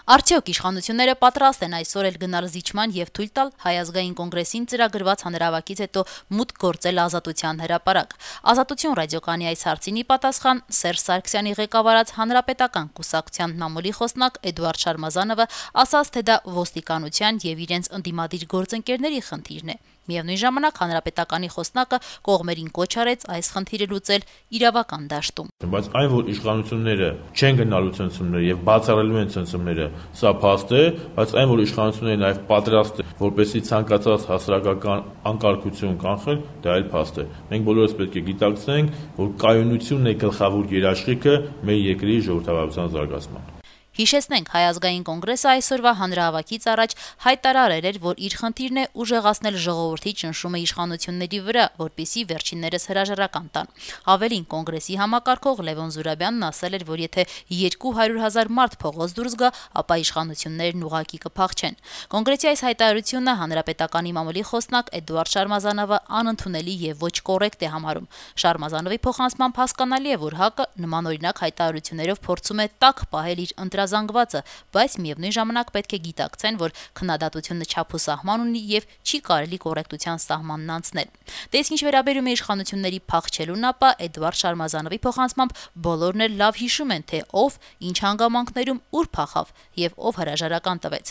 Արդյոք իշխանությունները պատրաստ են այսօր էլ գնալ զիջման եւ թույլ տալ Հայ ազգային կոնգրեսին ծրագրված հանրահավաքից հետո մուտք գործել ազատության հրապարակ։ Ազատություն ռադիոկայանի այս հարցին ի պատասխան Սերժ Սարգսյանի ղեկավարած Հանրապետական կուսակցության մամուլի խոսնակ Էդուարդ Շարմազանովը ասաց, թե դա ոստիկանության եւ իրենց ընդդիմադիր գործընկերների խնդիրն է։ Միևնույն ժամանակ Հանրապետականի խոսնակը կողմերին կոչ արեց այս խնդիրը լուծել իրավական դաշտում։ Բայց այն, որ իշխանությունները չեն գնալու ցնցումները եւ բացառելու են ցնցումները, սա փաստ է, բայց այն, որ իշխանությունները նաեւ պատրաստ են, որպեսզի ցանկացած հասարակական անկարգություն կանխեն, դա էլ փաստ է։ Մենք բոլորս պետք է գիտակցենք, որ կայունությունն է գլխավոր երաշխիքը մեր երկրի ժողովրդավարության զարգացման։ Հիշեցնենք, Հայ ազգային կոնգրեսը այսօրվա հանրահավաքից առաջ հայտարարել էր, որ իր խնդիրն է ուժեղացնել ժողովրդի ճնշումը իշխանությունների վրա, որպեսզի վերջիններս հրաժարական տան։ Ավելին, կոնգրեսի համակարգող Լևոն Զուրաբյանն ասել էր, որ եթե 200,000 մարդ փողոց դուրս գա, ապա իշխանություններն ուղղակի կփախչեն։ Կոնգրեսի այս հայտարարությունը Հանրապետականի մամուլի խոսնակ Էդուարդ Շարմազանովը անընդունելի եւ ոչ կոռեկտ է համարում։ Շարմազանովի փոխանցմամբ հասկանալի է, որ ՀԱԿ-ը նմանօրինակ հայտարարություններով փորձում է տաք պահել իր զանգվածը, բայց միևնույն ժամանակ պետք է գիտակցեն, որ քննադատությունը չափ ու սահման ունի եւ չի կարելի կոռեկտության սահմանն անցնել։ Դե ինչ վերաբերում է իշխանությունների փախչելուն, ապա Էդուարդ Շարմազանովի փոխանցմամբ բոլորն էլ լավ հիշում են, թե ով ինչ հանգամանքներում ուր փախավ եւ ով հրաժարական տվեց։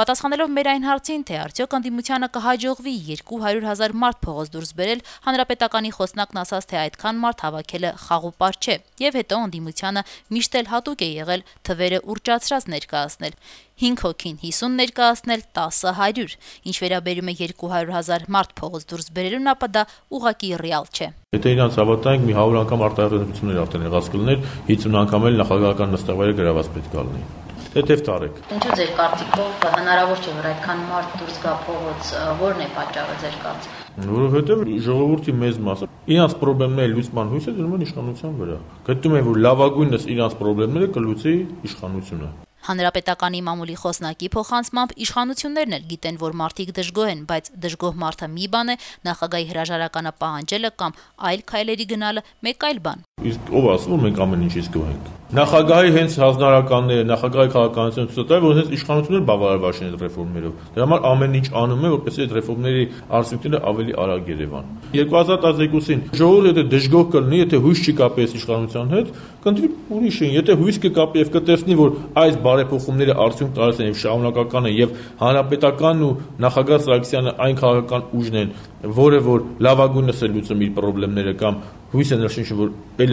Պատասխանելով մեր այն հարցին, թե արդյոք ընդդիմությանը կհաջողվի 200,000 մարդ փողոց դուրս բերել, Հանրապետականի խոսնակն ասաց, թե այդքան մարդ հավաքելը խաղուպար չէ եւ հետո ընդդիմությանը միշտ էլ հատուկ է եղել թվերը ուռճացրած ներկայացնել 5 հոգին 50 ներկայացնել 10-ը 100։ Ինչ վերաբերում է 200,000 մարդ փողոց դուրս բերելուն, ապա դա ուղղակի ռեալ չէ։ Եթե իրանց հավատանք, մի 100 անգամ արտահայտություններ արդեն եղած կլներ, 50 անգամ էլ նախագահական նստավայրը գրաված պետք է լինի։ Թեթև տարեք։ Ինչու ձեր կարծիքով հնարավոր չէ, որ այդքան մարդ դուրս գա փողոց, ո՞րն է պատճառը ձեր կարծիքով։ Որովհետև ժողովրդի մեծ մասը իրանց խնդիրների լուծման հույսը դնում են իշխանության վրա։ Գտնում են, որ լավագույնս իրանց խնդիրները կլուծի իշխանությունը։ Հանրապետականի մամուլի խոսնակի փոխանցմամբ իշխանություններն էլ գիտեն, որ մարդիկ դժգոհ են, բայց դժգոհ մարդը մի բան է, նախագահի հրաժարականը պահանջելը կամ այլ քայլերի գնալը մեկ այլ բան։ Իսկ ով ասում, որ մենք ամեն ինչից գոհ ենք։ Նախագահի հենց հանրականները, նախագահի քաղաքականությունը ցույց տա, որ հենց իշխանությունները բավարարված են այդ ռեֆորմներով։ Դրա համար ամեն ինչ անում է, որպեսզի այդ ռեֆորմների արդյունքները ավելի արագ երևան։ 2012-ին ժողովուրդը դժգոհ կլինի, եթե հույս չի կապի իշխանության հետ, կընտրի ուրիշին։ Եթե հույս կկապի եւ կտեսնի, որ այս բարեփոխումները արդյունք տալիս են եւ շարունակական են եւ հանրապետականն ու նախագահ Սարգսյանը այն քաղաքական ուժն են, որը որ լավագույնս է լուծում իր խնդիրները կամ հույս են նշին, որ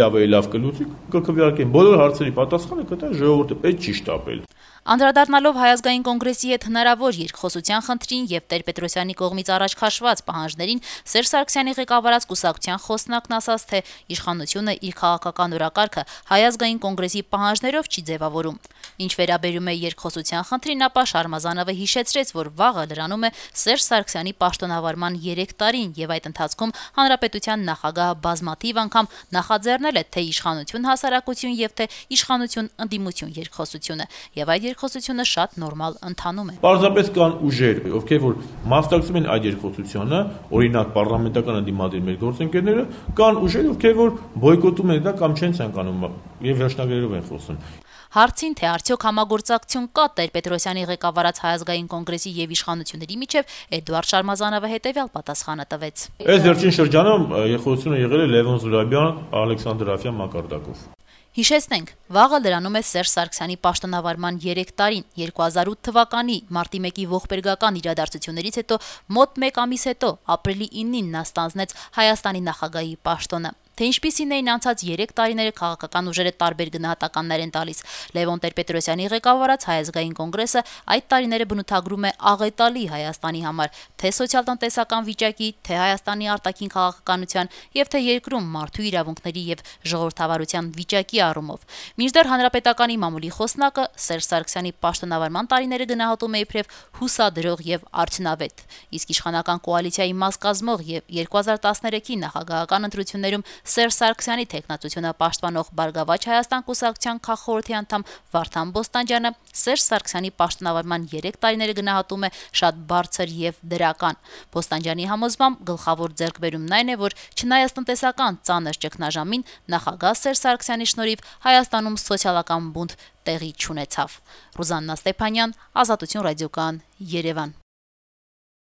ավելի լավ կլուծի, կքվեարկեն բոլոր հարցերի պատասխանը կտա ժողովուրդը, պետք չի շտապել։ Անդրադառնալով Հայ ազգային կոնգրեսի հետ հնարավոր երկխոսության խնդրին եւ Տեր-Պետրոսյանի կողմից առաջ քաշված պահանջներին, Սերժ Սարգսյանի ղեկավարած կուսակցության խոսնակն ասաց, թե իշխանությունը իր քաղաքական օրակարգը Հայ ազգային կոնգրեսի պահանջներով չի ձևավորում։ Ինչ վերաբերում է երկխոսության խնդրին, ապա Շարմազանովը հիշեցրեց, որ վաղը լրանում է Սերժ Սարգսյանի պաշտոնավարման 3 տարին եւ այդ ընթացքում հանրապետության նախագահը բազմաթիվ անգամ նախաձեռնել է թե իշխանություն հասարակություն եւ թե իշխանություն ընդդիմություն երկխոսությունը եւ այդ երկխոսությունը շատ նորմալ ընթանում է։ Պարզապես կան ուժեր, ովքեր որ մասնակցում են այդ երկխոսությանը, օրինակ պարլամենտական ընդդիմադիր մեր գործընկերները, կան ուժեր, ովքեր որ բոյկոտում են դա կամ չեն ցանկանում եւ վերջնագրերով են խոսում։ Հարցին, թե արդյոք համագործակցություն կա Տեր-Պետրոսյանի ղեկավարած Հայ ազգային կոնգրեսի եւ իշխանությունների միջեւ, Էդուարդ Շարմազանովը հետեւյալ պատասխանը տվեց։ Այս վերջին շրջանում երկխոսությունը եղել է Լևոն Զուրաբյան, Ալեքսանդր Աֆյան մակարդակով։ Հիշեցնենք, վաղը լրանում է Սերժ Սարգսյանի պաշտոնավարման 3 տարին, 2008 թվականի մարտի 1-ի ողբերգական իրադարձություններից հետո մոտ 1 ամիս հետո ապրիլի 9-ին նա ստանձնեց Հայաստանի նախագահի պաշտոնը։ Թե ինչպիսին էին անցած 3 տարիները քաղաքական ուժերը տարբեր գնահատականներ են տալիս։ Լևոն Տեր-Պետրոսյանի ղեկավարած Հայ ազգային կոնգրեսը այդ տարիները բնութագրում է աղետալի Հայաստանի համար, թե սոցիալ-տնտեսական վիճակի, թե Հայաստանի արտաքին քաղաքականության եւ թե երկրում մարդու իրավունքների եւ ժողովրդավարության վիճակի առումով։ Մինչդեռ Հանրապետականի մամուլի խոսնակը Սերժ Սարգսյանի պաշտոնավարման տարիները գնահատում է իբրև հուսադրող եւ արդյունավետ։ Իսկ իշխանական կոալիցիայի մաս կազմող եւ 2013-ի նախագահական ընտրություններում Սերժ Սարգսյանի թեկնածությունը պաշտպանող Բարգավաճ Հայաստան կուսակցության քաղխորհրդի անդամ Վարդան Բոստանջյանը Սերժ Սարգսյանի պաշտոնավարման 3 տարիները գնահատում է շատ բարձր եւ դրական։ Բոստանջյանի համոզմամբ գլխավոր ձեռքբերումն այն է, որ չնայած տնտեսական ծանր ճգնաժամին, նախագահ Սերժ Սարգսյանի շնորհիվ Հայաստանում սոցիալական բունտ տեղի չունեցավ։ Ռուզաննա Ստեփանյան, Ազատություն ռադիոկայան, Երևան։